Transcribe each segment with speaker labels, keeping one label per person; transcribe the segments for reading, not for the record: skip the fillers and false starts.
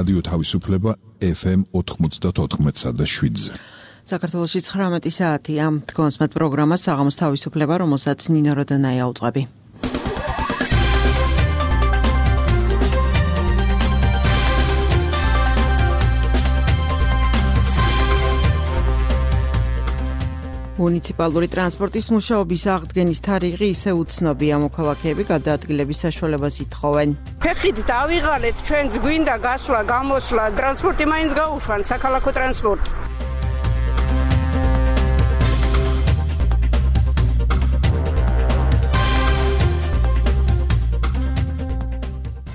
Speaker 1: რადიო თავისუფლება FM 94.7-ზე.
Speaker 2: საქართველოში 19 საათია. თქვენს პროგრამა საღამოს თავისუფლება, რომელსაც ნინო როდანაია უძღვები. მუნიციპალური ტრანსპორტის მუშაობის აღდგენის თარიღი ისე უცნობია, მოქალაქეები გადაადგილების საშუალებას ითხოვენ.
Speaker 3: ფეხით დავიღალეთ, ჩვენც გვინდა გასვლა, გამოსვლა, ტრანსპორტი მაინც გაუშვან, საქალაქო ტრანსპორტი.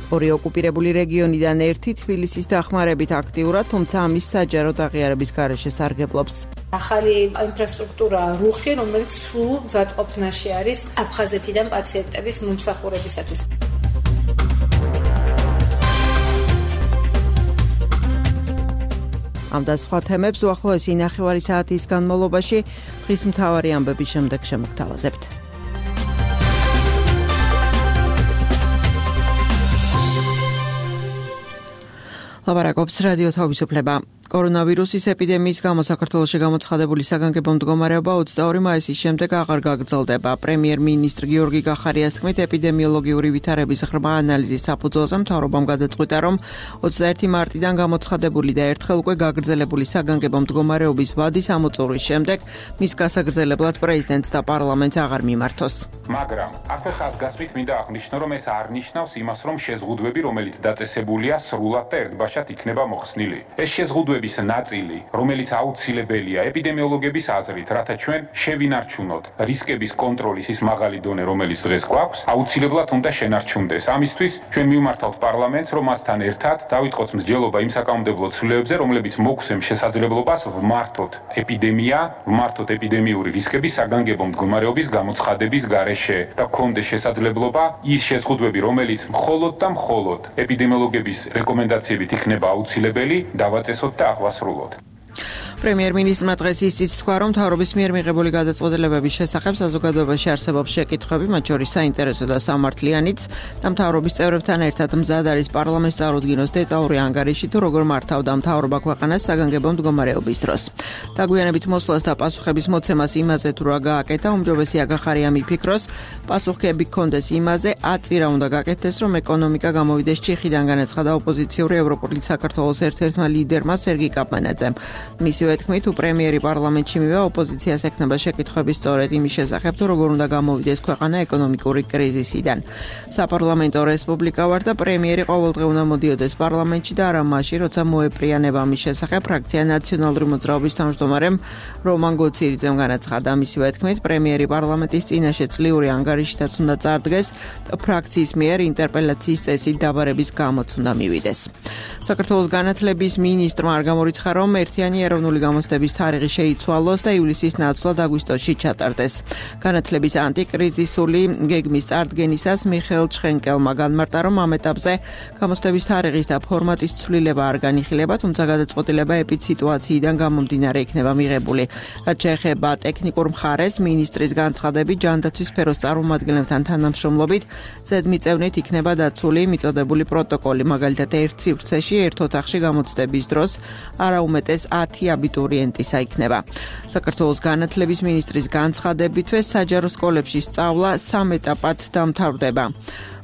Speaker 3: ორი ოკუპირებული რეგიონიდან ერთი თბილისის დახმარებით აქტიურად, თუმცა ამის საჯაროდ აღიარების გარეშე სარგებლობს.
Speaker 4: ახალი ინფრასტრუქტურა რუხი, რომელიც სრულ მზადყოფნაში არის აფხაზეთიდან პაციენტების მომსახურებისათვის.
Speaker 2: ამ და სხვა თემებს უახლოესი 9 საათის განმავლობაში დღის მთავარი ამბების შემდეგ შემოგთავაზებთ. ლაპარაკობს რადიო თავისუფლება. კორონავირუსის ეპიდემიის გამო საქართველოში გამოცხადებული საგანგებო მდგომარეობა 22 მაისის შემდეგ აღარ გაგრძელდება. პრემიერ-მინისტრ გიორგი გახარიას თქმით, ეპიდემიოლოგიური ვითარების ღრმა ანალიზის საფუძველზე მთავრობამ გადაწყვიტა, რომ 21 მარტიდან გამოცხადებული და ერთხელ უკვე გაგრძელებული საგანგებო მდგომარეობის ვადის ამოწურვის შემდეგ მის გასაგრძელებლად პრეზიდენტს და პარლამენტს აღარ მიმართოს.
Speaker 5: მაგრამ ასე ხაზგასმით მინდა აღნიშნო, რომ ეს არ ნიშნავს იმას, რომ შეზღუდვები, რომელიც დაწესებულია, სრულად და ერთბაშად იქნება მოხსნილი. ეს შეზღუდვები ნაწილი, რომელიც აუცილებელია ეპიდემიოლოგების აზრით, რათა ჩვენ შევინარჩუნოთ რისკების კონტროლის ის მაღალი დონე, რომელიც დღეს გვაქვს, აუცილებლად უნდა შენარჩუნდეს. ამისთვის ჩვენ მივმართავთ პარლამენტს, რომ მასთან ერთად დავიწყოთ მსჯელობა იმ საკანონმდებლო ცვლილებებზე, რომლებიც მოგვცემს შესაძლებლობას ვმართოთ ეპიდემია, ვმართოთ ეპიდემიური რისკების საგანგებო მდგომარეობის გამოცხადების გარეშე და გქონდეს შესაძლებლობა ის შეზღუდვები, რომელიც მხოლოდ და მხოლოდ ეპიდემიოლოგების რეკომენდაციებით იქნება აუცილებელი, დავაწესოთ და აღვასრულოთ.
Speaker 2: პრემიერ-მინისტრმა დღეს ისიც თქვა, რომ მთავრობის მიერ მიღებული გადაწყვეტილებების შესახებ საზოგადოებაში არსებობს შეკითხვები, მათ შორის საინტერესო და სამართლიანიც, და მთავრობის წევრებთან ერთად მზად არის პარლამენტს წარუდგინოს დეტალური ანგარიში, თუ როგორ მართავდა მთავრობა ქვეყანას საგანგებო მდგომარეობის დროს. დაგვიანებით მოსვლას და პასუხების მოცემას იმაზე, თუ რა გააკეთა, უმჯობესია გახარიამ იფიქროს, პასუხები გქონდეს იმაზე, აწირა უნდა გაკეთდეს, რომ ეკონომიკა გამოვიდეს ჩიხიდან, განაცხადა ოპოზიციური ევროპული საქართველოს ერთ-ერთმა ლიდერმა სერგი კაპმანაძემ. მისი თქმით, თუ პრემიერი პარლამენტში მივა, ოპოზიციას ექნება შეკითხვები სწორედ იმის შესახებ, თუ როგორ უნდა გამოვიდეს ქვეყანა ეკონომიკური კრიზისიდან. საპარლამენტო რესპუბლიკა ვარ და პრემიერი ყოველდღე უნდა მოდიოდეს პარლამენტში და არა მაშინ, როცა მოეპრიანება ამის შესახებ ფრაქცია ნაციონალური მოძრაობის თავმჯდომარემ რომან გოცირიძემ განაცხადა. მისივე თქმით, პრემიერი პარლამენტის წინაშე წლიური ანგარიშითაც უნდა წარდგეს და ფრაქციის მიერ ინტერპელაციის წესით დაბარების გამოც უნდა მივიდეს. საქართველოს განათლების მინისტრმა არ გამორიცხა, რომ ერთიანი ეროვნული გამოცდების თარიღი შეიცვალოს და ივლისის ნაცვლად აგვისტოში ჩატარდეს. განათლების ანტიკრიზისული გეგმის წარდგენისას მიხეილ ჩხენკელმა განმარტა, რომ ამ ეტაპზე გამოცდების თარიღის და ფორმატის ცვლილება არ განიხილება, თუმცა გადაწყვეტილება ეპიდსიტუაციიდან გამომდინარე იქნება მიღებული. რაც შეეხება ტექნიკურ მხარეს, მინისტრის განცხადებით, ჯანდაცვის სფეროს წარმომადგენლებთან თანამშრომლობით ზედმიწევნით იქნება დაცული მიწოდებული პროტოკოლი, მაგალითად ერთ სივრცეში ერთ ოთახში გამოცდების დროს არა უმეტეს 10 აბიტურიენტისა იქნება. საქართველოს განათლების მინისტრის განცხადებითვე საჯარო სკოლებში სწავლა 3 ეტაპად დამთავრდება.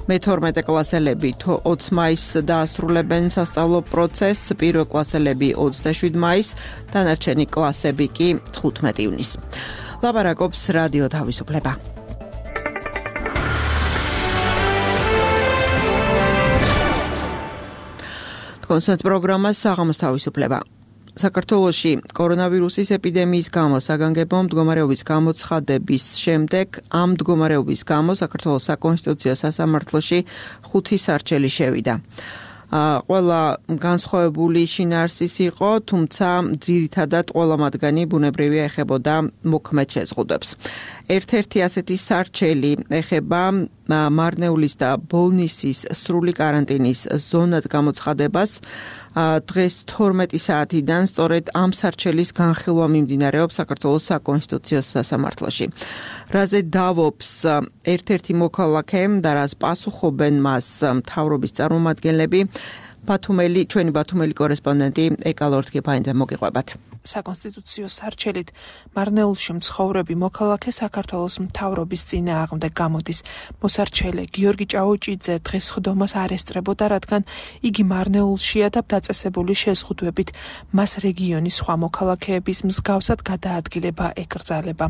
Speaker 2: მე-12 კლასელები 20 მაისს დაასრულებენ სასწავლო პროცესს, პირველ კლასელები 27 მაისს, დანარჩენი კლასები კი 15 ივნისს. ლაპარაკობს რადიო თავისუფლება. კონსერტ პროგრამას საღამოს თავისუფლება. საქართველოში კორონავირუსის ეპიდემიის გამო საგანგებო მდგომარეობის გამოცხადების შემდეგ ამ მდგომარეობის გამო საქართველოს საკონსტიტუციო სასამართლოში 5 სარჩელი შევიდა. ყველა განსხვავებული შინაარსის იყო, თუმცა ძირითადად ყველა მათგანი ბუნებრივია ეხებოდა მოქმედ შეზღუდვებს. ერთ-ერთი ასეთი სარჩელი ეხება მარნეულის და ბოლნისის სრული კარანტინის ზონად გამოცხადებას. დღეს 12 საათიდან სწორედ ამ სარჩელის განხილვა მიმდინარეობს საქართველოს საკონსტიტუციო სასამართლოში. რაზე დავობს ერთ-ერთი მოქალაქე და რას პასუხობენ მას მთავრობის წარმომადგენლები, ჩვენი ბათუმელი კორესპონდენტი ეკალორთკი ფაინძე მოგიყვებათ.
Speaker 3: საკონსტიტუციო სარჩელით მარნეულში მცხოვრები მოქალაქე საქართველოს მთავრობის წინააღმდეგ გამოდის. მოსარჩელე გიორგი ჭაუჭიძე დღეს ხდომას არ ესწრებოდა, რადგან იგი მარნეულშია და დაწესებული შეზღუდვებით მას რეგიონის სხვა მოქალაქეების მსგავსად გადაადგილება ეკრძალება.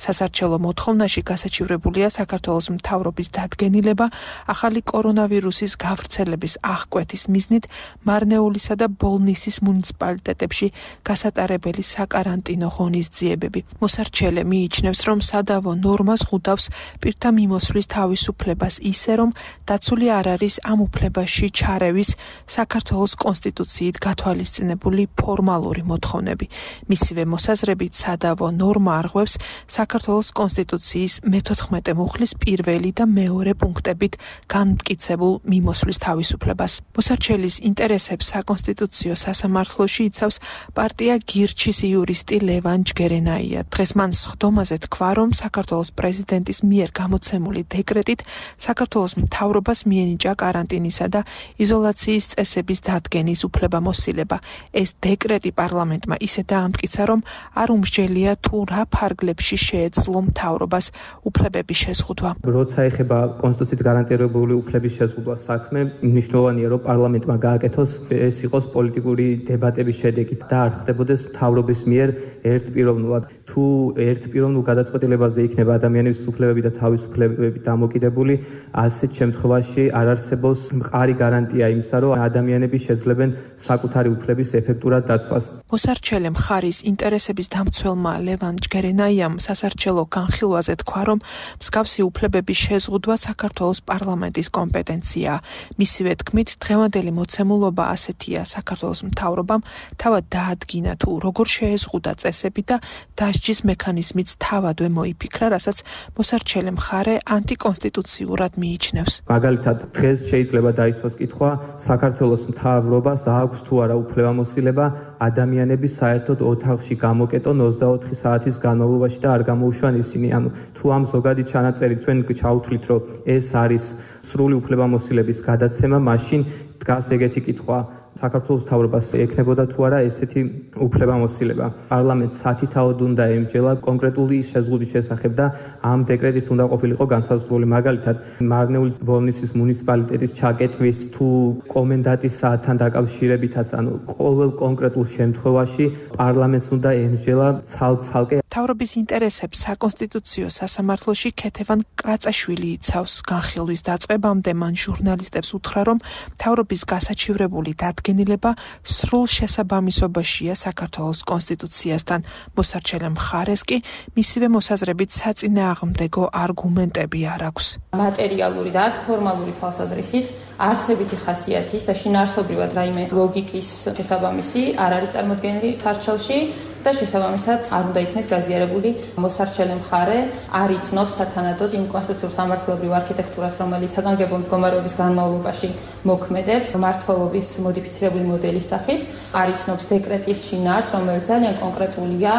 Speaker 3: სასარჩელო მოთხოვნაში გასაჩივრებულია საქართველოს მთავრობის დადგენილება ახალი კორონავირუსის გავრცელების აღკვეთის მიზნით მარნეულისა და ბოლნისის მუნიციპალიტეტებში გასატარებელი საკარანტინო ღონისძიებები. მოსარჩელე მიიჩნევს, რომ სადავო ნორმას ხვდავს პირთა მიმოსვლის თავისუფლებას ისე, რომ დაცული არ არის ამ უფლებაში ჩარევის საქართველოს კონსტიტუციით გათვალისწინებული ფორმალური მოთხოვნები. მისივე მოსაზრებით სადავო ნორმა არღვევს საქართველოს კონსტიტუციის მე-14 მუხლის პირველი და მეორე პუნქტებით განმტკიცებულ მიმოსვლის თავისუფლებას. მოსარჩელის ინტერესებს საკონსტიტუციო სასამართლოში იცავს პარტია გირჩის იურისტი ლევან ჯგერენაია. დღეს მან სხდომაზე თქვა, რომ საქართველოს პრეზიდენტის მიერ გამოცემული დეკრეტით საქართველოს მთავრობას მიენიჭა კარანტინისა და იზოლაციის წესების დადგენის უფლებამოსილება. ეს დეკრეტი პარლამენტმა ისე დაამტკიცა, რომ არ უმსჯელია თუ რა ფარგლებში შეეძლო მთავრობას უფლებების შეზღუდვა.
Speaker 6: როცა ეხება კონსტიტუციით გარანტირებული უფლების შეზღუდვა საქმე, მნიშვნელოვანია, რომ პარლამენტმა გააკეთოს ეს იყოს პოლიტიკური დებატების შედეგით და არ ხდებოდეს მთავრობის მიერ ერთპიროვნულად. თუ ერთპიროვნულ გადაწყვეტილებაზე იქნება ადამიანების უფლებები და თავისუფლებები დამოკიდებული, ასეთ შემთხვევაში არ არსებობს მყარი გარანტია იმისა, რომ ადამიანები შეძლებენ საკუთარი უფლების ეფექტურად დაცვას.
Speaker 3: მოსარჩელე მხარის ინტერესების დამცველმა ლევან ჯგერენაიამ სასარჩელო განხილვაზე თქვა, რომ მსგავსი უფლებების შეზღუდვა საქართველოს პარლამენტის კომპეტენციაა. მისივე თქმით, დღევანდელი მოცემულობა ასეთია: საქართველოს მთავრობამ თავად დაადგინა თუ როგორ შეეზღუდა წესები და დასჯის მექანიზმიც თავადვე მოიფიქრა, რასაც მოსარჩელე მხარე ანტიკონსტიტუციურად მიიჩნევს.
Speaker 6: მაგალითად, დღეს შეიძლება დაისვას კითხვა, საქართველოს მთავრობას აქვს თუ არა უფლებამოსილება ადამიანები საერთოდ ოთახში გამოკეტონ 24 საათის განმავლობაში და არ გამოუშვან ისინი. ანუ თუ ამ ზოგადი ჩანაწერი ჩვენ ჩავთვლით, რომ ეს არის სრული უფლებამოსილების გადაცემა, მაშინ დგას ეგეთი კითხვა: საქართველოს მთავრობას ექნებოდა თუ არა ესეთი უფლებამოსილება. პარლამენტს სათითაოდ უნდა ემჯელა კონკრეტული შეზღუდვის შესახებ და ამ დეკრეტით უნდა ყოფილიყო განსაზღვრული. მაგალითად, მარნეულის ბოლნისის მუნიციპალიტეტის ჩაკეტვის თუ კომენდანტის საათთან დაკავშირებითაც, ანუ ყოველ კონკრეტულ შემთხვევაში პარლამენტს უნდა ემჯელა ცალ-ცალკე.
Speaker 3: მთავრობის ინტერესებს საკონსტიტუციო სასამართლოში ქეთევან კრაწაშვილი იცავს. განხილვის დაწყებამდე მან ჟურნალისტებს უთხრა, რომ მთავრობის გასაჩივრებული დადგენილება სრულ შესაბამისობაშია საქართველოს კონსტიტუციასთან. მოსარჩელე მხარეს კი მისივე მოსაზრებით საწინააღმდეგო არგუმენტები არ აქვს.
Speaker 7: მატერიალური და არც ფორმალური თვალსაზრისით არსებითი ხასიათის და შინაარსობრივად რაიმე ლოგიკის შესაბამისი არ არის წარმოდგენილი სარჩელში და შესაბამისად არ უნდა იქნეს გაზიარებული მოსარჩელე მხარე არ იცნობს სათანადოდ იმ კონსტიტუციურ სამართლებრივ არქიტექტურას, რომელიც საგანგებო მდგომარეობის განმავლობაში მოქმედებს მმართველობის მოდიფიცირებული მოდელის სახით, არ იცნობს დეკრეტის შინაარსს, რომელიც ძალიან კონკრეტულია,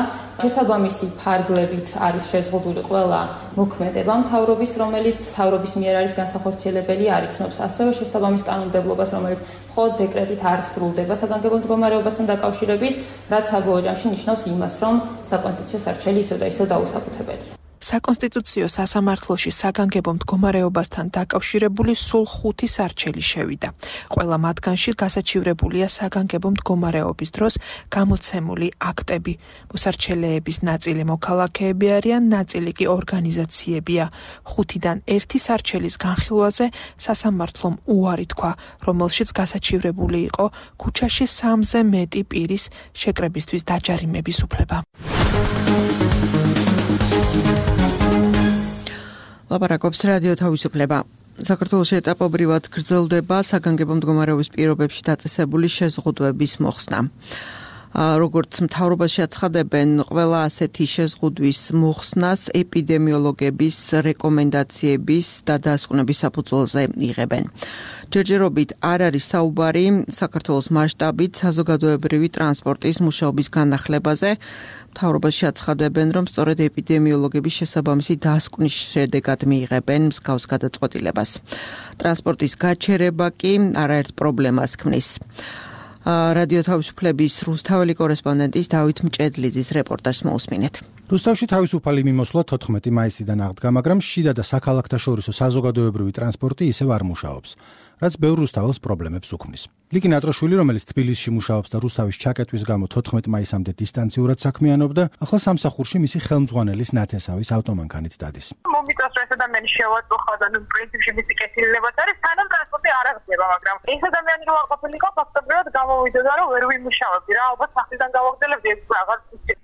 Speaker 7: შესაბამისი ფარგლებით არის შეზღუდული ყველა მოქმედება მთავრობის, რომელიც მთავრობის მიერ არის განსახორციელებელი, არ იცნობს ასევე შესაბამის კანონმდებლობას, რომელიც მხოლოდ დეკრეტით არ სრულდება საგანგებო მდგომარეობასთან დაკავშირებით, რაც საბოლოო ჯამში ნიშნავს იმას, რომ საკონსტიტუციო სარჩელი ისევ და ისევ დაუსაკუთრებელია.
Speaker 3: საკონსტიტუციო სასამართლოში საგანგებო მდგომარეობასთან დაკავშირებული სულ 5 სარჩელი შევიდა. ყველა მათგანში გასაჩივრებულია საგანგებო მდგომარეობის დროს გამოცემული აქტები. მოსარჩელეების ნაწილი მოქალაქეები არიან, ნაწილი კი ორგანიზაციებია. 5-დან 1 სარჩელის განხილვაზე სასამართლომ უარი თქვა, რომელშიც გასაჩივრებული იყო ქუჩაში 3-ზე მეტი პირის შეკრებისთვის დაჯარიმების უფლება.
Speaker 2: ლაპარაკობს რადიო თავისუფლება. საქართველოში ეტაპობრივად გრძელდება საგანგებო მდგომარეობის პირობებში დაწესებული შეზღუდვების მოხსნა. როგორც მთავრობას შეაცხადებენ, ყველა ასეთი შეზღუდვის მოხსნას ეპიდემიოლოგების რეკომენდაციების და დასკვნების საფუძველზე იღებენ. ჯერჯერობით არ არის საუბარი საქართველოს მასშტაბით საზოგადოებრივი ტრანსპორტის მუშაობის განახლებაზე. მთავრობას შეაცხადებენ, რომ სწორედ ეპიდემიოლოგების შესაბამისი დასკვნის შედეგად მიიღებენ მსგავს გადაწყვეტილებას. ტრანსპორტის გაჩერება კი არაერთ პრობლემას ქმნის. რადიო თავისუფლების რუსთაველი კორესპონდენტის დავით მჭედლიძის რეპორტაჟს მოусმინეთ.
Speaker 8: რუსთავში თავისუფალი მიმოსვლა 14 მაისიდან აღდგა, მაგრამ შიდა და საქალაქთაშორისო საზოგადოებრივი ტრანსპორტი ისევ არ მუშაობს, რაც ბევრ რუსთაველს პრობლემებს უქმნის. ლიკი ნატროშვილი, რომელიც თბილისში მუშაობს და რუსთავის ჩაკეტვის გამო 14 მაისამდე დისტანციურად საქმიანობდა, ახლა სამსახურში მისი ხელმძღვანელის ნათესავის ავტომანქანით დადის.
Speaker 9: მომიწევს ეს ადამიანი შევაწუხა და პრინციპში მისი კეთილობაც არის, სანამ ტრანსპორტი არ აღდება, მაგრამ ეს ადამიანი რო არ ყოფილიყო, ფაქტობრივად გამოვიდოდა, რომ ვერ ვიმუშავებდი რა, ალბათ სახლიდან გავაგრძელებდი ეს რაღაც.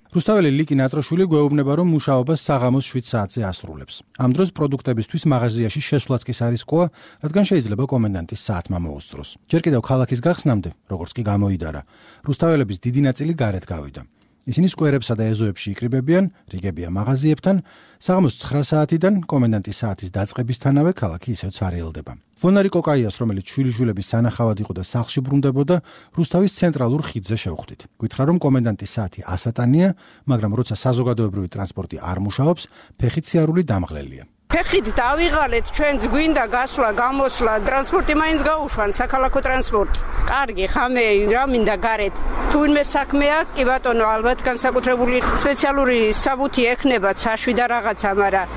Speaker 8: რუსთაველი ლიკი ნატროშვილი გვეუბნება, რომ მუშაობას საღამოს 7 საათზე ასრულებს. ამ დროს პროდუქტებისთვის მაღაზიაში შესვლაც კი არისკოა, რადგან შეიძლება კომენდანტის საათმა მოუსწროს. ჯერ კიდევ ქალაქის გახსნამდე, როგორც კი გამოიდარა, რუსთაველების დიდი ნაწილი გარეთ გავიდა. ისინი სკვერებსა და ეზოებში იკრიბებიან, რიგებია მაღაზიებთან, საღამოს 9 საათიდან კომენდანტის საათის დაწყებისთანავე ქალაქი ისევ ცარიელდება. ვონარი კოკაიას, რომელიც შვილიშვილების სანახავად იყო და სახლში ბრუნდებოდა, რუსთავის ცენტრალურ ხიდზე შევხვდით. გითხრა, რომ კომენდანტის საათი ასატანია, მაგრამ როცა საზოგადოებრივი ტრანსპორტი არ მუშაობს, ფეხით სიარული დამღლელია.
Speaker 10: ფეხით დავიღალეთ, ჩვენც გვინდა გასვლა, გამოსვლა, ტრანსპორტი მაინც გაუშვან, საქალაქო ტრანსპორტი. კარგი, ხამე, რა მინდა გარეთ. თუ ვინმე საქმე აქვს, კი ბატონო, ალბათ განსაკუთრებული სპეციალური საბუთი ექნება, ცაშვი და რაღაცა, მაგრამ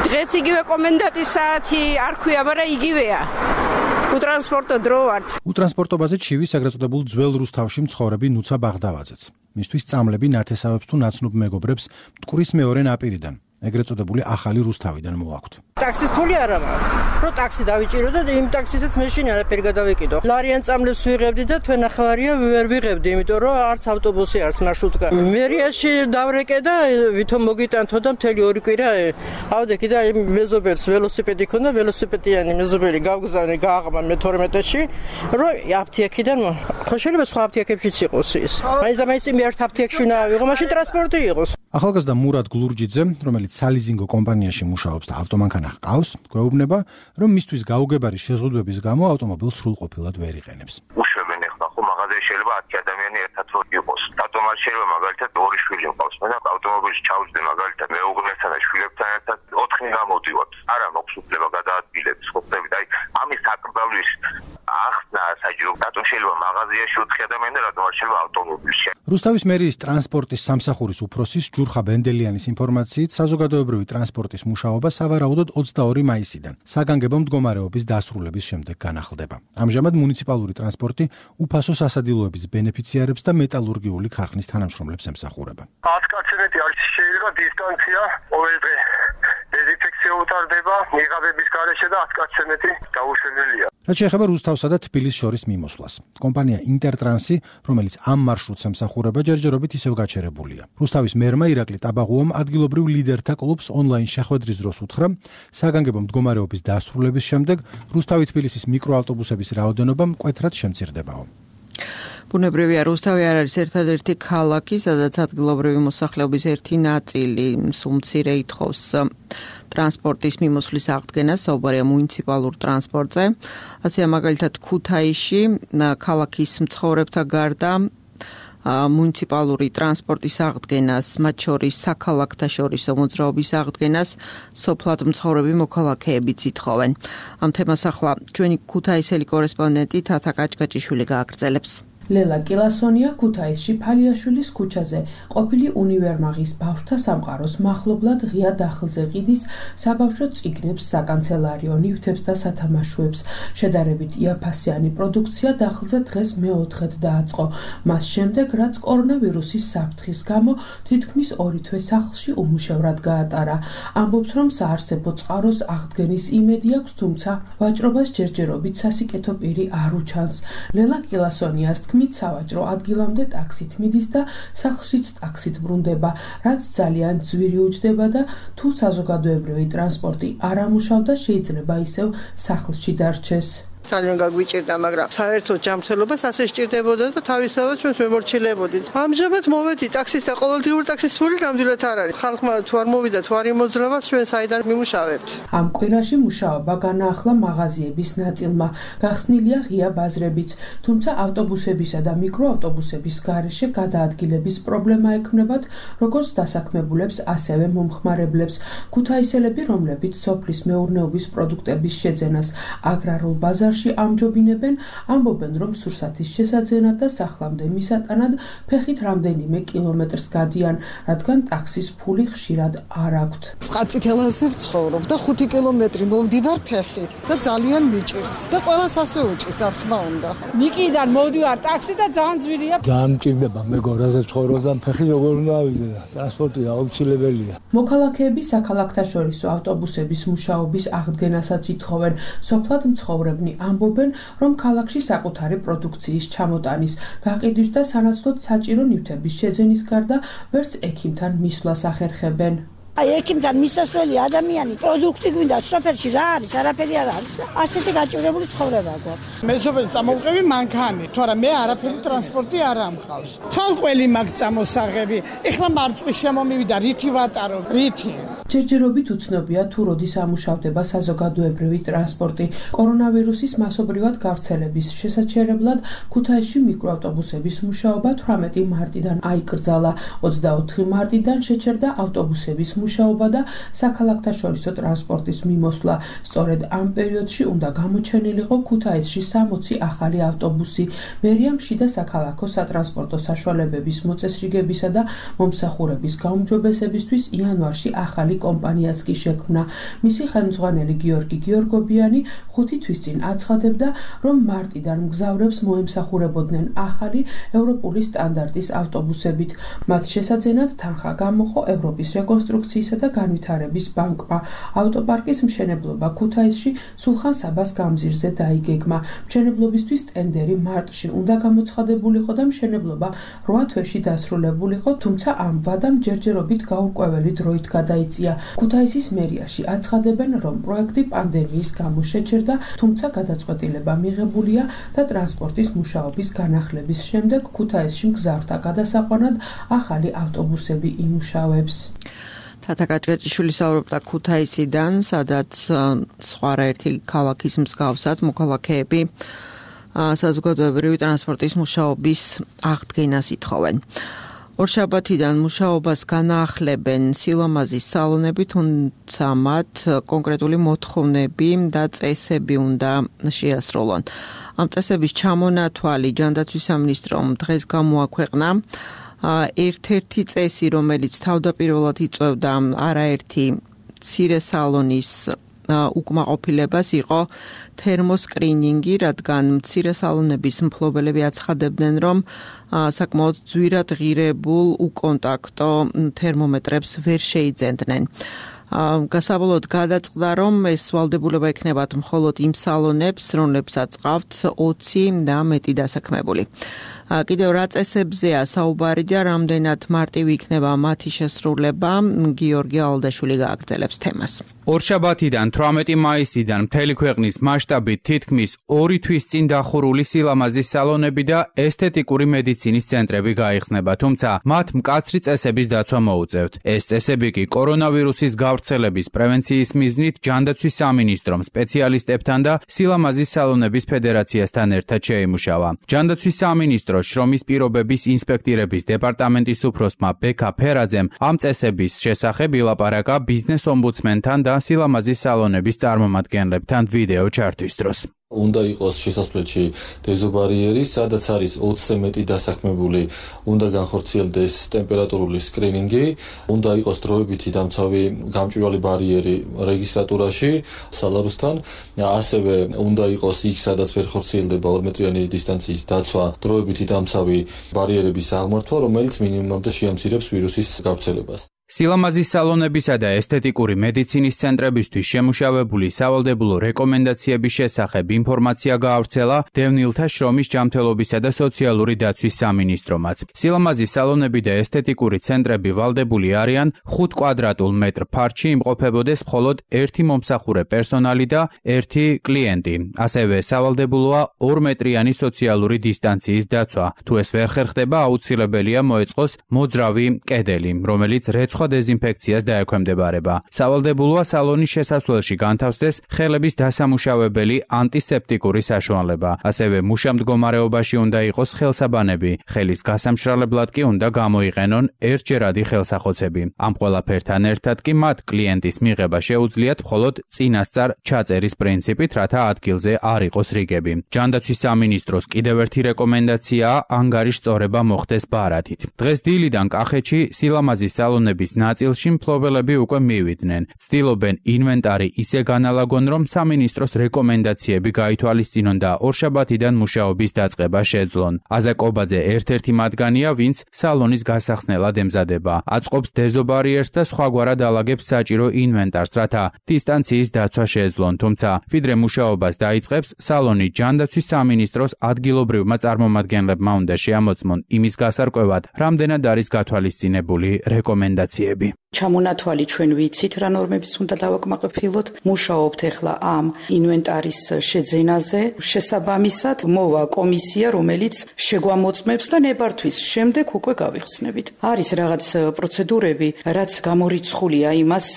Speaker 10: დღეც იგივე კომენდანტის საათი არ ქვია, მაგრამ იგივეა. უტრანსპორტო დრო არ.
Speaker 8: უტრანსპორტობაზე ჩივის ეგრეთ წოდებულ ძველ რუსთავში მცხოვრები ნუცა ბაღდავაძეც. მისთვის წამლები ნათესავებს თუ ნაცნობ მეგობრებს მტკვრის მეორე ნაპირიდან. ეგრეთ წოდებული ახალი რუსთავიდან მოაქვთ.
Speaker 11: ტაქსის ფული არ მაქვს. რო ტაქსი დავიჭირო და იმ ტაქსისაც მეშინ არაფერი გადავიკიდო. ლარიან წამლებს ვიღებდი და თქვენ ახალარია ვერ ვიღებდი, იმიტომ რომ არც ავტობუსი არც მარშრუტკა. მერიაში დავრეკე და ვითომ მოგიტანთო და მთელი 2 კვირა ავდექი და იმ მეზობელს ველოსიპედი ქონდა, ველოსიპედიანი მეზობელი გავგზავნე გააღმა მე 12-ში, რომ აფთიაქიდან ხო შეიძლება სხვა აფთიაქებშიც იყოს ის. მაინც მე ერთ აფთიაქში ნავიღო, მაშინ ტრანსპორტი იყოს.
Speaker 8: ახალგაზრდა მურად გლურჯიძე, რომელიც სალიზინგო კომპანიაში მუშაობს და ავტომანქანა ჰყავს, გვეუბნება, რომ მისთვის გაუგებარი შეზღუდვების გამო ავტომობილს სრულყოფილად ვერ იყენებს.
Speaker 12: უშვებენ ახლა ხო მაღაზიაში შეიძლება 10 ადამიანი ერთად რო იყოს. რატომ არ შეიძლება მაგალითად 2 შვილი მყავს, მე და ავტომობილში ჩავჯდე მაგალითად მეუღლესთან და შვილებთან ერთად 4 გამოდივართ. არა მაქვს უფლება გადაადგილების, ხო ხდებით? აი ამის საკრძალვის ახსნა საჯარო, რატომ შეიძლება მაღაზიაში 4 ადამიანი და რატომ არ შეიძლება ავტომობილში.
Speaker 8: რუსთავის მერიის ტრანსპორტის სამსახურის უფროსის ჯურხა ბენდელიანის ინფორმაციით, საზოგადოებრივი ტრანსპორტის მუშაობა სავარაუდოდ 22 მაისიდან საგანგებო მდგომარეობის დასრულების შემდეგ განახლდება. ამჟამად მუნიციპალური ტრანსპორტი უფასო სასადილოების ბენეფიციარებს და მეტალურგიული ქარხნის თანამშრომლებს ემსახურება.
Speaker 13: 10 კაცები არის შეიძლება დისტანცია ყოველდღე დეზინფექცია უტარდება, მიღაბების გარეშე და 10 კაცები დაუშვებელია.
Speaker 8: რაც შეეხება რუსთავსა და თბილისს შორის მიმოსვლას. კომპანია ინტერტრანსი, რომელიც ამ მარშრუტს ემსახურება, ჯერჯერობით ისევ გაჩერებულია. რუსთავის მერმა ირაკლი ტაბაღუამ ადგილობრივ ლიდერთა კლუბს ონლაინ შეხვედრის დროს უთხრა, საგანგებო მდგომარეობის დასრულების შემდეგ რუსთავი-თბილისის მიკროავტობუსების რაოდენობა მკვეთრად შემცირდებაო.
Speaker 2: ბუნებრივია, რუსთავი არ არის ერთადერთი ქალაქი, სადაც ადგილობრივი მოსახლეობის ერთი ნაწილი სუმცირე ითხოვს ტრანსპორტის მიმოსვლის აღდგენას, საუბარია მუნიციპალურ ტრანსპორტზე. ასეა მაგალითად ქუთაისში ქალაქის მცხოვრებთა გარდა მუნიციპალური ტრანსპორტის აღდგენას, მათ შორის საქალაქთაშორისო მოძრაობის აღდგენას სოფლად მცხოვრები მოქალაქეებიც ითხოვენ. ამ თემას ახლა ჩვენი ქუთაისელი კორესპონდენტი თათა კაჭკაჭიშვილი გააგრძელებს.
Speaker 14: ლელა კილასონია ქუთაისში ფალიაშვილის ქუჩაზე ყოფილი უნივერმაღის ბავშვთა სამყაროს მახლობლად ღია დახლზე ყიდის საბავშვო წიგნებს, საკანცელარიო ნივთებს და სათამაშოებს. შედარებით იაფასიანი პროდუქცია დახლზე დღეს მეოთხედ დააწყო. მას შემდეგ, რაც კორონავირუსის საფრთხის გამო თითქმის 2 თვე სახლში უმუშევრად გაატარა. ამბობს, რომ საარსებო წყაროს აღდგენის იმედი აქვს, თუმცა ვაჭრობას ჯერჯერობით სასიკეთო პირი არ უჩანს. ლელა კილასონიას სავაჭრო ადგილამდე ტაქსით მიდის და სახლშიც ტაქსით ბრუნდება, რაც ძალიან ძვირი უჯდება და თუ საზოგადოებრივი ტრანსპორტი არ ამუშავდა, შეიძლება ისევ სახლში დარჩეს.
Speaker 11: ძალიან გაგვიჭირდა, მაგრამ საერთოდ ჯანმრთელობას ასე სჭირდებოდა და თავისთავად ჩვენს მემორჩილებოდით. ამჟამად მოვედი ტაქსის და ყოველდღიური ტაქსის ფული ნამდვილად არ არის. ხალხმა თუ არ მოვიდა, თუ არ იმოძრავა, ჩვენ საიდან მიმუშავებთ.
Speaker 14: ამ კვირაში მუშაობა განაახლა მაღაზიების ნაწილმა. გახსნილია ღია ბაზრებიც, თუმცა ავტობუსებისა და მიკროავტობუსების გარეშე გადაადგილების პრობლემა ექმნებათ როგორც დასაქმებულებს, ასევე მომხმარებლებს. ქუთაისელები, რომლებიც სოფლის მეურნეობის პროდუქტების შეძენას აგრარულ ბაზარში ამჯობინებენ, ამბობენ, რომ სურსათის შესაძენად და სახლამდე მისატანად ფეხით რამდენიმე კილომეტრს გადიან, რადგან ტაქსის ფული ხშირად არ აქვთ.
Speaker 15: წყალწითელაზე ვცხოვრობ და 5 კილომეტრი მოვდივარ ფეხით და ძალიან მიჭირს და ყველას ასე უჭირს, რა თქმა უნდა.
Speaker 16: ნიკიდან მოვდივარ ტაქსი და ძალიან ძვირია.
Speaker 17: ძალიან მჭირდება მეგობრაზე ცხოვრობ და ფეხით როგორ უნდა ავიდე და ტრანსპორტი აუცილებელია.
Speaker 14: მოქალაქეები საქალაქთაშორისო ავტობუსების მუშაობის აღდგენასაც ითხოვენ. სოფლად მცხოვრებნი ამბობენ, რომ ქალაქში საკუთარი პროდუქციის ჩამოტანის, გაყიდვის და სანაცვლოდ საჭირო ნივთების შეძენის გარდა ვერც ექიმთან მისვლას ახერხებენ.
Speaker 16: აი ექიმთან მისასვლელი ადამიანი პროდუქტი გვინდა სოფელში რა არის არაფერი არ არის და ასეთი გაჭირებული ცხოვრება გვაქვს. მე სოფელს წამოვყევი მანქანით, თორემ მე არაფერი ტრანსპორტი არ ამყავს. ხალყველი მაგ წამოსაღები, ეხლა მარწყვის შემომივიდა, რითი ვატარო, რითი.
Speaker 14: ჯერჯერობით უცნობია თუ როდის ამუშავდება საზოგადოებრივი ტრანსპორტი. კორონავირუსის მასობრივად გავრცელების შესაჩერებლად ქუთაისში მიკროავტობუსების მუშაობა 18 მარტიდან აიკრძალა. 24 მარტიდან შეჩერდა ავტობუსების მუშაობა და საქალაქთაშორისო ტრანსპორტის მიმოსვლა. სწორედ ამ პერიოდში უნდა გამოჩენილიყო ქუთაისში 60 ახალი ავტობუსი. მერიამ შიდა საქალაქო სატრანსპორტო საშუალებების მოწესრიგებისა და მომსახურების გაუმჯობესებისთვის იანვარში ახალი კომპანიაც კი შექმნა. მისი ხელმძღვანელი გიორგი გიორგობიანი 5 თვის წინ აცხადებდა, რომ მარტიდან მგზავრებს მოემსახურებოდნენ ახალი ევროპული სტანდარტის ავტობუსებით. მათ შესაძენად თანხა გამოყო ევროპის რეკონსტრუქციისა და განვითარების ბანკმა. ავტოპარკის მშენებლობა ქუთაისში სულხან საბას გამზირზე დაიგეგმა. მშენებლობისთვის ტენდერი მარტში უნდა გამოცხადებულიყო და მშენებლობა 8 თვეში დასრულებულიყო, თუმცა ამ ვადამ ჯერჯერობით გაურკვეველი დროით გადაიწია. ქუთაისის მერიაში აცხადებენ, რომ პროექტი პანდემიის გამო შეჩერდა, თუმცა გადაწყვეტილება მიღებულია და ტრანსპორტის მუშაობის განახლების შემდეგ ქუთაისში მგზავრთა გადასაყვანად ახალი ავტობუსები იმუშავებს.
Speaker 2: თათა კაჭკაჭიშვილი საუბრობდა ქუთაისიდან, სადაც სხვა ერთი ქალაქის მსგავსად მოქალაქეები საზოგადოებრივი ტრანსპორტის მუშაობის აღდგენას ითხოვენ. ორშაბათიდან მუშაობას განაახლებენ სილამაზის სალონები, თუმცა მათ კონკრეტული მოთხოვნები და წესები უნდა შეასრულონ. ამ წესების ჩამონათვალი ჯანდაცვის სამინისტრომ დღეს გამოაქვეყნა. ერთ-ერთი წესი, რომელიც თავდაპირველად იწვევდა არაერთი მცირე სალონის უკმაყოფილებას, იყო თერმოსკრინინგი, რადგან მცირე სალონების მფლობელები აცხადებდნენ, რომ საკმაოდ ძვირად ღირებულ უკონტაქტო თერმომეტრებს ვერ შეიძენდნენ. გასაბოლოოდ გადაწყდა, რომ ეს ვალდებულება ექნებათ მხოლოდ იმ სალონებს, რომლებსაც ყავთ 20 და მეტი დასაქმებული. კიდევ რა წესებზეა საუბარი და რამდენად მარტივი იქნება მათი შესრულება, გიორგი ალდაშვილი გააგრძელებს თემას.
Speaker 18: ორშაბათიდან 18 მაისიდან მთელი ქვეყნის მასშტაბით თითქმის 2 თვის წინ დახურული სილამაზის სალონები და ესთეტიკური მედიცინის ცენტრები გაიხსნება, თუმცა მათ მკაცრი წესების დაცვა მოუწევთ. ეს წესები კი კორონავირუსის გავრცელების პრევენციის მიზნით ჯანდაცვის სამინისტრომ სპეციალისტებთან და სილამაზის სალონების ფედერაციასთან ერთად შეიმუშავა. ჯანდაცვის სამინისტრო შრომის პირობების ინსპექტირების დეპარტამენტის უფროსმა ბექა ფერაძემ ამ წესების შესახებ ილაპარაკა ბიზნეს ომბუდსმენთან და სილამაზის სალონების წარმომადგენლებთან ვიდეო ჩართვის დროს.
Speaker 19: უნდა იყოს შესასვლელში დეზობარიერი, სადაც არის 20-ზე მეტი დასაქმებული, უნდა განხორციელდეს ტემპერატურული სკრინინგი, უნდა იყოს დროებითი დამცავი გამჭვირვალე ბარიერი რეგისტრატურაში სალაროსთან, ასევე უნდა იყოს იქ, სადაც ვერ ხორციელდება 2 მეტრიანი დისტანციის დაცვა, დროებითი დამცავი ბარიერების აღმართვა, რომელიც მინიმუმამდე შეამცირებს ვირუსის გავრცელებას.
Speaker 18: სილამაზის სალონებისა და ესთეტიკური მედიცინის ცენტრებისთვის შემუშავებული სავალდებულო რეკომენდაციების შესახებ ინფორმაცია გაავრცელა დევნილთა შრომის ჯანმრთელობისა და სოციალური დაცვის სამინისტრომაც. სილამაზის სალონები და ესთეტიკური ცენტრები ვალდებული არიან 5 კვადრატულ მეტრ ფართში იმყოფებოდეს მხოლოდ 1 მომსახურე პერსონალი და 1 კლიენტი. ასევე სავალდებულოა 2 მეტრიანი სოციალური დისტანციის დაცვა. თუ ეს ვერ ხერხდება, აუცილებელია მოეწყოს მოძრავი კედელი, რომელიც სხვა დეზინფექციას დაექვემდებარება. სავალდებულოა სალონის შესასვლელში განთავსდეს ხელების დასამუშავებელი ანტისეპტიკური საშუალება. ასევე მუშამდგომარეობაში უნდა იყოს ხელსაბანები. ხელის გასამშრალებლად კი უნდა გამოიყენონ ერთჯერადი ხელსახოცები. ამ ყველაფერთან ერთად კი მათ კლიენტის მიღება შეუძლიათ მხოლოდ წინასწარ ჩაწერის პრინციპით, რათა ადგილზე არ იყოს რიგები. ჯანდაცვის სამინისტროს კიდევ ერთი რეკომენდაციაა ანგარიშ სწორება მოხდეს ბარათით. დღეს დილიდან კახეთში სილამაზის სალონების ნაწილში მფლობელები უკვე მივიდნენ. ცდილობენ ინვენტარი ისე განალაგონ, რომ სამინისტროს რეკომენდაციები გაითვალისწინონ და ორშაბათიდან მუშაობის დაწყება შეძლონ. აზა კობაძე ერთ-ერთი მათგანია, ვინც სალონის გასახსნელად ემზადება. აწყობს დეზობარიერს და სხვაგვარად ალაგებს საჭირო ინვენტარს, რათა დისტანციის დაცვა შეძლონ. თუმცა, ვიდრე მუშაობას დაიწყებს, სალონი ჯანდაცვის სამინისტროს ადგილობრივმა წარმომადგენლებმა უნდა შეამოწმონ იმის გასარკვევად, რამდენად არის გათვალისწინებული რეკომენდაციები.
Speaker 20: ჩამონათვალი ჩვენ ვიცით რა ნორმებიც უნდა დავაკმაყოფილოთ. მუშაობთ ახლა ამ ინვენტარის შეძენაზე. შესაბამისად მოვა კომისია, რომელიც შეგვამოწმებს და ნებართვის შემდეგ უკვე გავიხსნებით. არის რაღაც პროცედურები, რაც გამორიცხულია, იმას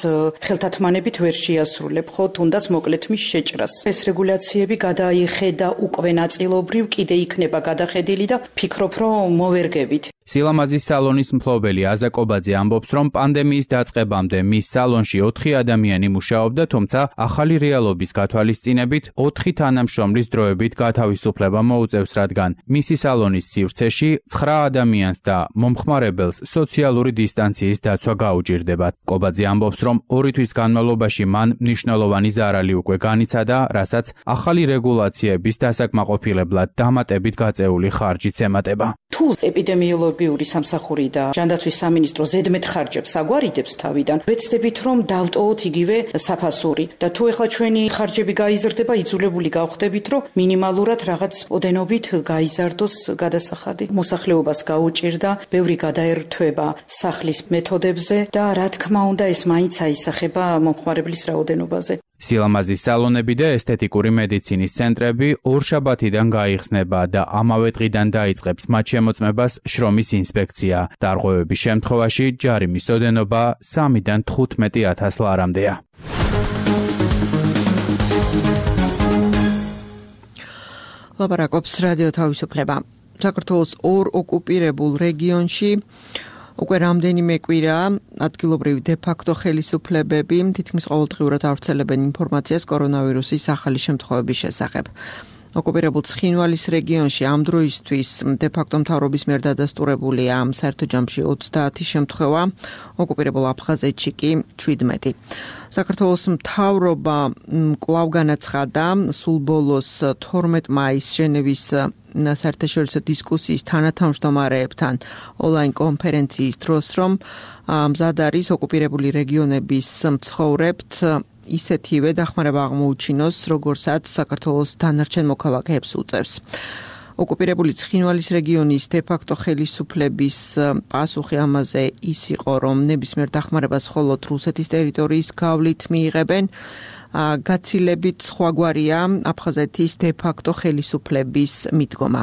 Speaker 20: ხელთათმანებით ვერ შეასრულებ, ხო თუნდაც მოკლედ მის შეჭრას. ეს რეგულაციები გადაიხედა უკვე ნაწილობრივ, კიდე იქნება გადახედილი და ფიქრობ, რომ მოვერგებით.
Speaker 18: სილამაზის სალონის მფლობელი აზა კობაძე ამბობს, რომ პანდემიის დაწყებამდე მის სალონში 4 ადამიანი მუშაობდა, თუმცა ახალი რეალობის გათვალისწინებით 4 თანამშრომლის დროებით გათავისუფლება მოუწევს, რადგან მისი სალონის სივრცეში 9 ადამიანს და მომხმარებელს სოციალური დისტანციის დაცვა გაუჭირდებათ. კობაძე ამბობს, რომ 2 თვის განმავლობაში მან მნიშვნელოვანი ზარალი უკვე განიცადა, რასაც ახალი რეგულაციების დასაკმაყოფილებლად დამატებით გაწეული ხარჯიც ემატება.
Speaker 20: თუ ეპიდემიოლოგიური სამსახური და ჯანდაცვის სამინისტრო ზედმეტ ხარჯებს აგვარიდებს თავიდან, ვეცდებით რომ დავტოვოთ იგივე საფასური და თუ ეხლა ჩვენი ხარჯები გაიზრდება, იძულებული გავხდებით რომ მინიმალურად რაღაც ოდენობით გაიზარდოს გადასახადი. მოსახლეობას გაუჭირდა ბევრი გადაერთვება სახლის მეთოდებზე და რა თქმა უნდა ეს მაინც აისახება მომხმარებლის რაოდენობაზე.
Speaker 18: სილამაზის სალონები და ესთეტიკური მედიცინის ცენტრები ორშაბათიდან გაიხსნება და ამავე დღიდან დაიწყებს მათ შემოწმებას შრომის ინსპექცია. დარღვევების შემთხვევაში ჯარიმის ოდენობა 3-დან 15,000 ლარამდეა.
Speaker 2: ლაპარაკობს რადიო თავისუფლება. საქართველოს 2 ოკუპირებულ რეგიონში უკვე რამდენიმე კვირაა ადგილობრივი დე-ფაქტო ხელისუფლებები თითქმის ყოველდღიურად ავრცელებენ ინფორმაციას კორონავირუსის ახალი შემთხვევების შესახებ. ოკუპირებულ ცხინვალის რეგიონში ამ დროისთვის დე-ფაქტო მთავრობის მიერ დადასტურებულია საერთო ჯამში 30 შემთხვევა, ოკუპირებულ აფხაზეთში კი 17. საქართველოს მთავრობა კვლავ განაცხადა სულ ბოლოს 12 მაისს ჟენევის საერთაშორისო დისკუსიის თანათავმჯდომარეებთან ონლაინ კონფერენციის დროს, რომ მზად არის ოკუპირებული რეგიონების მცხოვრებთ ისეთივე დახმარება აღმოუჩინოს, როგორცაც საქართველოს დანარჩენ მოქალაქეებს უწევს. ოკუპირებული ცხინვალის რეგიონის დე-ფაქტო ხელისუფლების პასუხი ამაზე ის იყო, რომ ნებისმიერ დახმარებას მხოლოდ რუსეთის ტერიტორიის გავლით მიიღებენ. გაცილებით სხვაგვარია აფხაზეთის დე-ფაქტო ხელისუფლების მიდგომა.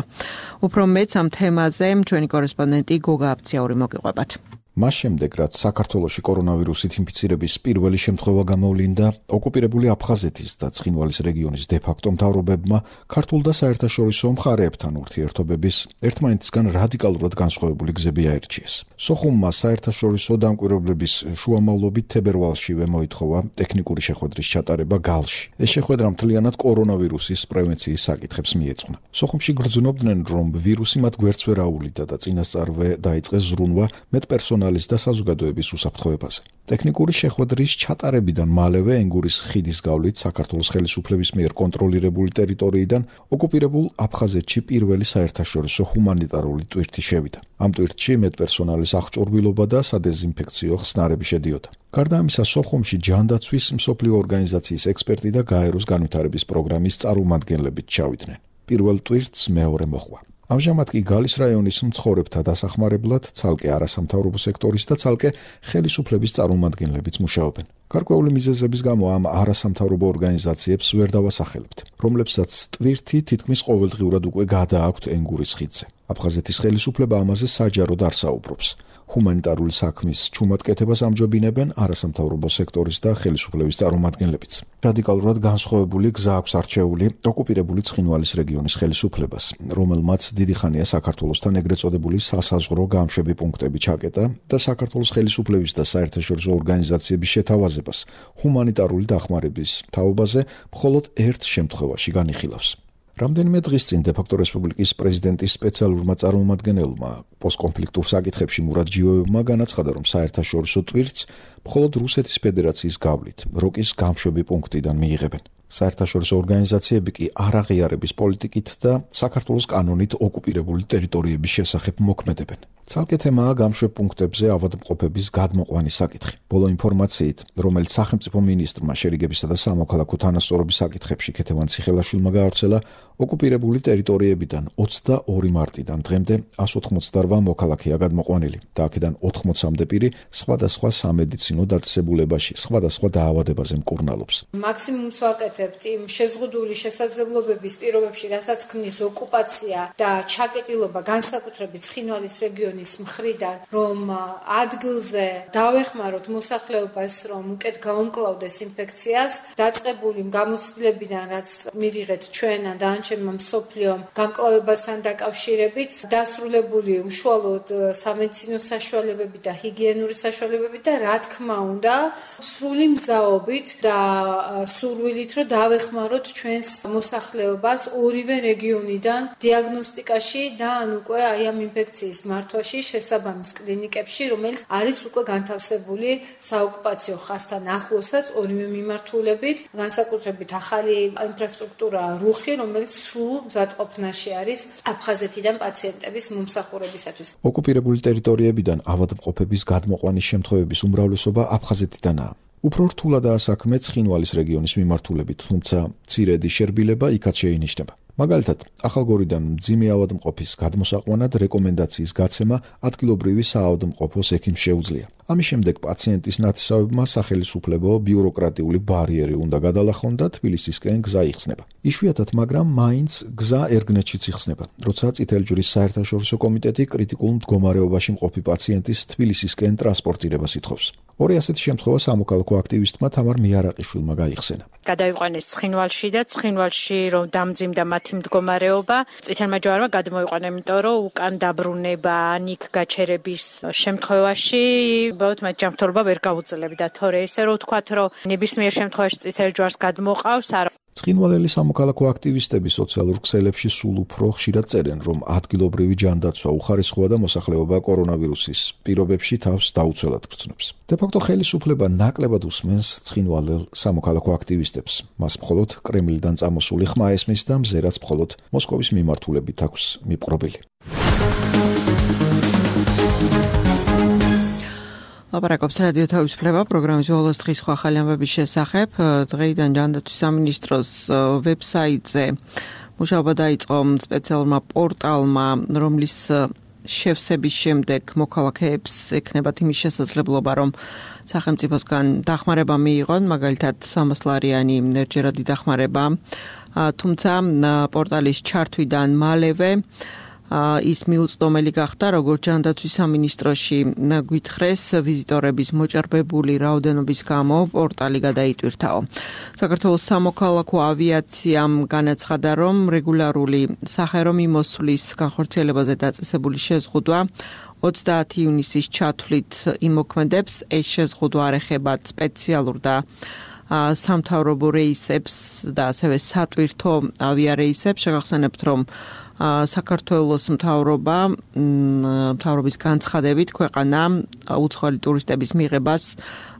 Speaker 2: უფრო მეც ამ თემაზე ჩვენი კორესპონდენტი გოგა აბციაური მოგიყვებათ.
Speaker 1: მას შემდეგ, რაც საქართველოში კორონავირუსით ინფიცირების პირველი შემთხვევა გამოვლინდა, ოკუპირებული აფხაზეთის და ცხინვალის რეგიონის დე-ფაქტო მთავრობებმა ქართულ და საერთაშორისო მხარეებთან ურთიერთობების ერთმანეთისგან რადიკალურად განსხვავებული გზები აერჩიეს. სოხუმმა საერთაშორისო დამკვირვებლების შუამავლობით თებერვალშივე მოითხოვა ტექნიკური შეხვედრის ჩატარება გალში. ეს შეხვედრა მთლიანად კორონავირუსის პრევენციის საკითხებს მიეძღვნა. სოხუმში გრძნობდნენ, რომ ვირუსი მათ გვერდს ვერ აუვლიდა და წინასწარვე დაიწყეს ზრუნვა მეტპერსონალ პერსონალის და საზოგადოების უსაფრთხოებაზე. ტექნიკური შეხვედრის ჩატარებიდან მალევე ენგურის ხიდის გავლით საქართველოს ხელისუფლების მიერ კონტროლირებული ტერიტორიიდან ოკუპირებულ აფხაზეთში პირველი საერთაშორისო ჰუმანიტარული ტვირთი შევიდა. ამ ტვირთში მეტპერსონალის აღჭურვილობა და სადეზინფექციო ხსნარები შედიოდა. გარდა ამისა, სოხუმში ჯანდაცვის მსოფლიო ორგანიზაციის ექსპერტი და გაეროს განვითარების პროგრამის წარმომადგენლებიც ჩავიდნენ. პირველ ტვირთს მეორე მოხვა. ამჟამად კი გალის რაიონის მცხოვრებთა დასახმარებლად ცალკე არასამთავრობო სექტორის და ცალკე ხელისუფლების წარმომადგენლებიც მუშაობენ. გარკვეული მიზეზების გამო ამ არასამთავრობო ორგანიზაციებს ვერ დავასახელებთ, რომლებსაც ტვირთი თითქმის ყოველდღიურად უკვე გადააქვთ ენგურის ხიდზე. აფხაზეთის ხელისუფლება ამაზე საჯაროდ არ საუბრობს. ჰუმანიტარული საქმის ჩუმად კეთებას ამჯობინებენ არასამთავრობო სექტორის და ხელისუფლების წარმომადგენლებიც. რადიკალურად განსხვავებული გზა აქვს არჩეული ოკუპირებული ცხინვალის რეგიონის ხელისუფლებას, რომელმაც დიდი ხანია საქართველოსთან ეგრეთ წოდებული სასაზღვრო გამშვები პუნქტები ჩაკეტა და საქართველოს ხელისუფლების და საერთაშორისო ორგანიზაციების შეთავაზებას ჰუმანიტარული დახმარების თაობაზე მხოლოდ ერთ შემთხვევაში განიხილავს. რამდენიმე დღის წინ დე-ფაქტო რესპუბლიკის პრეზიდენტის სპეციალურმა წარმომადგენელმა პოსტკონფლიქტურ საკითხებში მურად ჯიოევმა განაცხადა, რომ საერთაშორისო ტვირთს მხოლოდ რუსეთის ფედერაციის გავლით როკის გამშვები პუნქტიდან მიიღებენ. საერთაშორისო ორგანიზაციები კი არაღიარების პოლიტიკით და საქართველოს კანონით ოკუპირებული ტერიტორიების შესახებ მოქმედებენ. ცალკე თემაა გამშვებ პუნქტებზე ავადმყოფების გადმოყვანის საკითხი. ბოლო ინფორმაციით, რომელიც სახელმწიფო მინისტრმა შერიგებისა და სამოქალაქო თანასწორობის საკითხებში ქეთევან ციხელაშვილმა გაავრცელა, ოკუპირებული ტერიტორიებიდან 22 მარტიდან დღემდე 188 მოქალაქეა გადმოყვანილი და აქედან 80-მდე პირი სხვადასხვა სამედიცინო დაწესებულებაში სხვადასხვა დაავადებაზე მკურნალობს.
Speaker 4: მაქსიმუმს ვაკეთებთ იმ შეზღუდული შესაძლებლობების პირობებში, რასაც ქმნის ოკუპაცია და ჩაკეტილობა განსაკუთრებით ცხინვალის რეგიონის მხრიდან, რომ ადგილზე დავეხმაროთ მოსახლეობას, რომ უკეთ გაუმკლავდეს ინფექციას, დაწყებული გამოცდილებიდან, რაც მივიღეთ ჩვენ და ჩემმა მსოფლიომ გამკლავებასთან დაკავშირებით, დასრულებული უშუალოდ სამედიცინო საშუალებები და ჰიგიენური საშუალებები და რა თქმა უნდა, სრული მზაობით და სურვილით, რომ დავეხმაროთ ჩვენს მოსახლეობას ორივე რეგიონიდან დიაგნოსტიკაში და უკვე აი ამ ინფექციის მართვაში შესაბამის კლინიკებში, რომელიც არის უკვე განთავსებული საოკუპაციო ხაზთან ახლოსაც ორივე მიმართულებით, განსაკუთრებით ახალი ინფრასტრუქტურა რუხი, რომელიც სრულ მზადყოფნაში არის აფხაზეთიდან პაციენტების მომსახურებისათვის.
Speaker 1: ოკუპირებული ტერიტორიებიდან ავადმყოფების გადმოყვანის შემთხვევების უმრავლესობა აფხაზეთიდანაა. უფრო რთულადაა საქმე ცხინვალის რეგიონის მიმართულებით, თუმცა მცირედი შერბილება იქაც შეინიშნება. მაგალითად, ახალგორიდან მძიმე ავადმყოფის გადმოსაყვანად რეკომენდაციის გაცემა ადგილობრივი საავადმყოფოს ექიმს შეუძლია. ამის შემდეგ პაციენტის ნათესავებმა სახელისუფლებო ბიუროკრატიული ბარიერი უნდა გადალახონ და თბილისისკენ გზა იხსნება. იშვიათად, მაგრამ მაინც გზა ერგნეთშიც იხსნება, როცა წითელი ჯვრის საერთაშორისო კომიტეტი კრიტიკულ მდგომარეობაში მყოფი პაციენტის თბილისისკენ ტრანსპორტირებას ითხოვს. ორი ასეთი შემთხვევა სამოქალაქო აქტივისტმა თამარ მიარაყიშვილმა გაიხსენა.
Speaker 21: გადაიყვანეს ცხინვალში და ცხინვალში რომ დამძიმდა მათი მდგომარეობა, წითელმა ჯვარმა გადმოიყვანა, იმიტომ რომ უკან დაბრუნება, ანიქ გაჩერების შემთხვევაში უბრალოდ მათ ჯანმრთელობა ვერ გაუძლებდა. თორე ისე რომ ვთქვათ, რომ ნებისმიერ შემთხვევაში წითელ ჯვარს გადმოყავს, არა.
Speaker 1: ცხინვალელი სამოქალაქო აქტივისტები სოციალურ ქსელებში სულ უფრო ხშირად წერენ, რომ ადგილობრივი ჯანდაცვა უხარისხოა და მოსახლეობა კორონავირუსის პირობებში თავს დაუცველად გრძნობს. დე-ფაქტო ხელისუფლება ნაკლებად უსმენს ცხინვალელ სამოქალაქო აქტივისტებს. მას მხოლოდ კრემლიდან წამოსული ხმა ესმის და მზერაც მხოლოდ მოსკოვის მიმართულებით აქვს მიპყრობილი.
Speaker 2: ლაპარაკობს რადიო თავისუფლება პროგრამის ბოლოს დღის სხვა ახალი ამბების შესახებ. დღეიდან ჯანდაცვის სამინისტროს ვებსაიტზე მუშაობა დაიწყო სპეციალურმა პორტალმა, რომლის შევსების შემდეგ მოქალაქეებს ექნებათ იმის შესაძლებლობა, რომ სახელმწიფოსგან დახმარება მიიღონ, მაგალითად 300 ლარიანი ერთჯერადი დახმარება. თუმცა პორტალის ჩართვიდან მალევე ის მიუწვდომელი გახდა, როგორც ჯანდაცვის სამინისტროში გვითხრეს, ვიზიტორების მოჭრბებული რაოდენობის გამო პორტალი გადაიტვირთაო. საქართველოს სამოქალაქო ავიაციამ განაცხადა, რომ რეგულარული საჰაერო მიმოსვლის განხორციელებაზე დაწესებული შეზღუდვა 30 ივნისის ჩათვლით იმოქმედებს. ეს შეზღუდვა არ ეხება სპეციალურ და სამთავრობო რეისებს და ასევე სატვირთო ავიარეისებს. შეგახსენებთ, რომ საქართველოს მთავრობის განცხადებით ქვეყანა უცხოელი ტურისტების მიღებას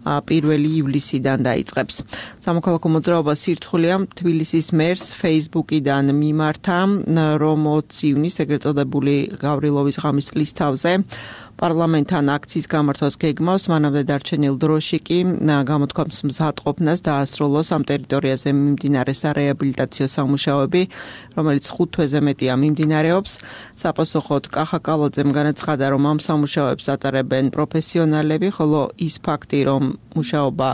Speaker 2: 1 ივლისიდან დაიწყებს. სამოქალაქო მოძრაობა სირცხულია თბილისის მერს Facebook-იდან მიმართა, რომ 20 ივნისს ეგრეთ წოდებული გავრილოვის ღამის წლის თავზე პარლამენტთან აქციის გამართვას გეგმავს, მანამდე დარჩენილ დროში კი გამოთქვამს მზადყოფნას დაასრულოს ამ ტერიტორიაზე მიმდინარე სარეაბილიტაციო სამუშაოები, რომელიც 5 თვეზე მეტია მიმდინარეობს. საპასუხოდ კახა კალაძემ განაცხადა, რომ ამ სამუშაოებს ატარებენ პროფესიონალები, ხოლო ის ფაქტი, რომ მუშაობა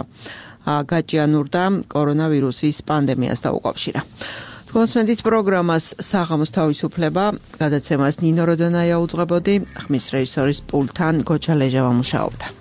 Speaker 2: გაჭიანურდა კორონავირუსის პანდემიას დაუკავშირა. კონსმენდით პროგრამას საღამოს თავისუფლება გადაცემას ნინო როდონაია უძღვებოდი, ხმის რეჟისორის პულტთან გოჩა ლეჟავა მუშაობდა.